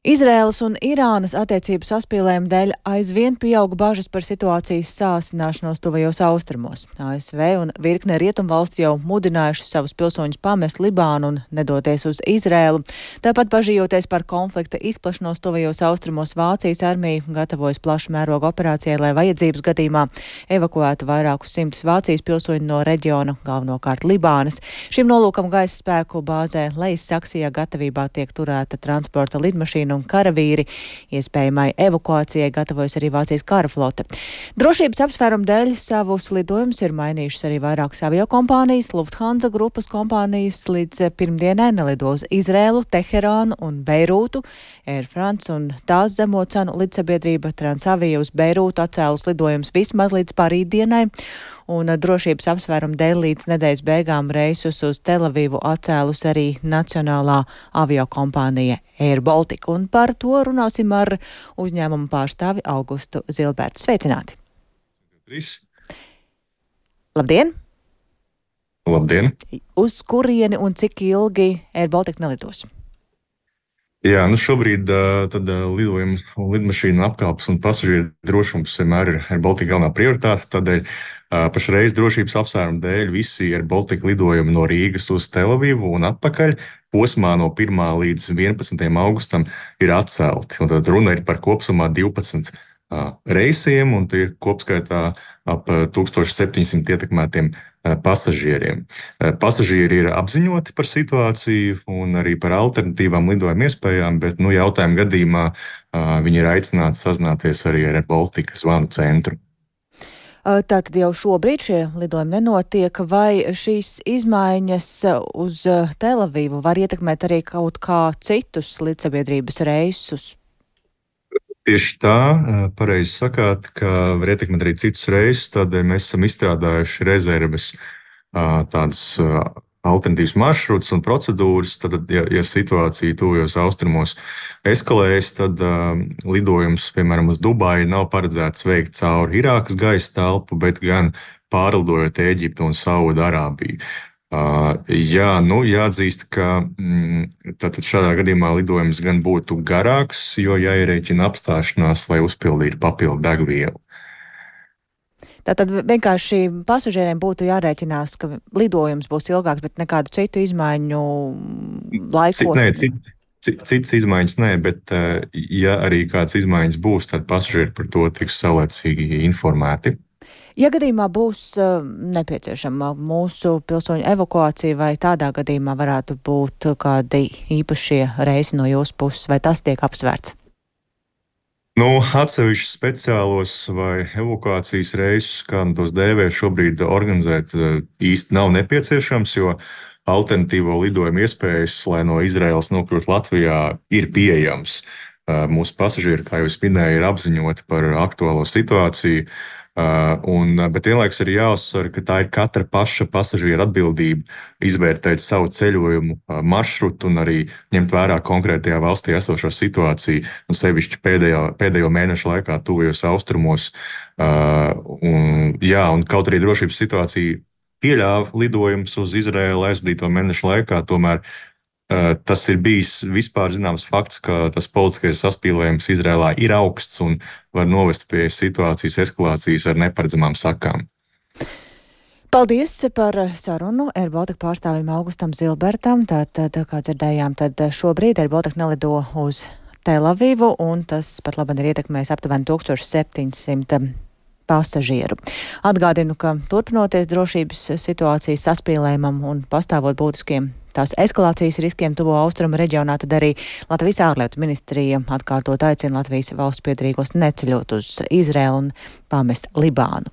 Izraēlas un Irānas attiecību saspīlējumu dēļ aizvien pieauga bažas par situācijas sāsināšanos tuvajos austrumos. ASV un virkne rietumvalsts jau mudinājuši savus pilsoņus pamest Libānu un nedoties uz Izraēlu. Tāpat bažījoties par konflikta izplašanos tuvajos austrumos, Vācijas armija gatavojas plašu mērogu operācijai, lai vajadzības gadījumā evakuētu vairākus simtus Vācijas pilsoņu no reģiona, galvenokārt Libānas. Šim nolūkam gaisa spēku bāzē Lejas-Saksijā gatavībā tiek turēta transporta lidmašīna un karavīri. Iespējamai evakuācijai gatavojas arī Vācijas kara flote. Drošības apsvērumu dēļ savus lidojumus ir mainījušas arī vairākas aviokompānijas. Lufthansa grupas kompānijas līdz pirmdienai nelido uz Izrēlu, Teherānu un Beirūtu. Air France un tās zemo cenu lidsabiedrība Transavia uz Beirūtu atcēlus lidojumus vismaz līdz parītdienai. Un drošības apsvērumu dēļ līdz nedēļas beigām reisus uz Telavivu atcēlus arī nacionālā aviokompānija Air Baltica. Un par to runāsim ar uzņēmumu pārstāvi Augustu Zilbertu. Sveicināti! Labdien! Labdien! Uz kurieni un cik ilgi Air Baltica nelidos? Jā, šobrīd tad lidojuma un lidmašīnu apkalpes un pasažieru drošums vienmēr ir Air Baltica galvenā prioritāte. Tādēļ pašreiz drošības apsvērumu dēļ visi Air Baltica lidojumi no Rīgas uz Telavivu un atpakaļ posmā no 1. līdz 11. augustam ir atcelti. Un tad runa ir par kopsumā 12 reisiem, un tie ir kopskaitā ap 1700 ietekmētiem pasažieriem. Pasažieri ir apziņoti par situāciju un arī par alternatīvām lidojuma iespējām, bet jautājuma gadījumā viņi ir aicināti sazināties arī ar Air Baltica zvanu centru. Tātad jau šobrīd šie lidojumi nenotiek, vai šīs izmaiņas uz Telavivu var ietekmēt arī kaut kā citus lidsabiedrības reisus? Tieši tā, pareizi sakāt, ka var ietekmēt arī citus reisus, tādēļ mēs esam izstrādājuši rezerves tādas alternatīvas maršrutus un procedūras. Tad, ja situācija tuvajos austrumos eskalējas, tad lidojums, piemēram, uz Dubaju nav paredzēts veikt cauri Irākas gaisa telpu, bet gan pārlidojot Ēģiptu un Saudarābiju. Jāatzīst, ka tātad šādā gadījumā lidojums gan būtu garāks, jo jāierēķina apstāšanās, lai uzpildītu papildu degvielu. Tātad vienkārši pasažieriem būtu jārēķinās, ka lidojums būs ilgāks, bet nekādu citu izmaiņu laikos? Citas izmaiņas nē, bet ja arī kādas izmaiņas būs, tad pasažieri par to tiks saulēcīgi informēti. Ja gadījumā būs nepieciešama mūsu pilsoņu evakuācija, vai tādā gadījumā varētu būt kādi īpašie reisi no jūsu puses, vai tas tiek apsvērts? Atsevišķus speciālos vai evakuācijas reisus, kā tos dēvē, šobrīd organizēt īsti nav nepieciešams, jo alternatīvo lidojumu iespējas, lai no Izraēlas nokļūtu Latvijā, ir pieejams. Mūsu pasažieri, kā jau es minēju, ir apziņoti par aktuālo situāciju. Bet vienlaikus ir jāuzsver, ka tā ir katra paša pasažiera atbildība izvērtēt savu ceļojumu maršrutu un arī ņemt vērā konkrētajā valstī esošo situāciju, sevišķi pēdējo mēnešu laikā tuvajos austrumos. Un kaut arī drošības situācija pieļāva lidojumus uz Izraēlu aizvadīto mēnešu laikā, tomēr tas ir bijis vispār zināms fakts, ka tas politiskais saspīlējums Izrēlā ir augsts un var novest pie situācijas eskalācijas ar neparedzamām sakām. Paldies par sarunu Air Baltica pārstāvim Augustam Zilbertam. Tātad, kā dzirdējām, tad šobrīd Air Baltica nelido uz Telavivu, un tas pat labi ir ietekmējis aptuveni 1700 pasažieru. Atgādinu, ka turpinoties drošības situācijas saspīlējumam un pastāvot būtiskiem tās eskalācijas riskiem tuvo austrumu reģionā, tad arī Latvijas ārlietu ministrija atkārtot aicina Latvijas valsts piederīgos neceļot uz Izraēlu un pamest Libānu.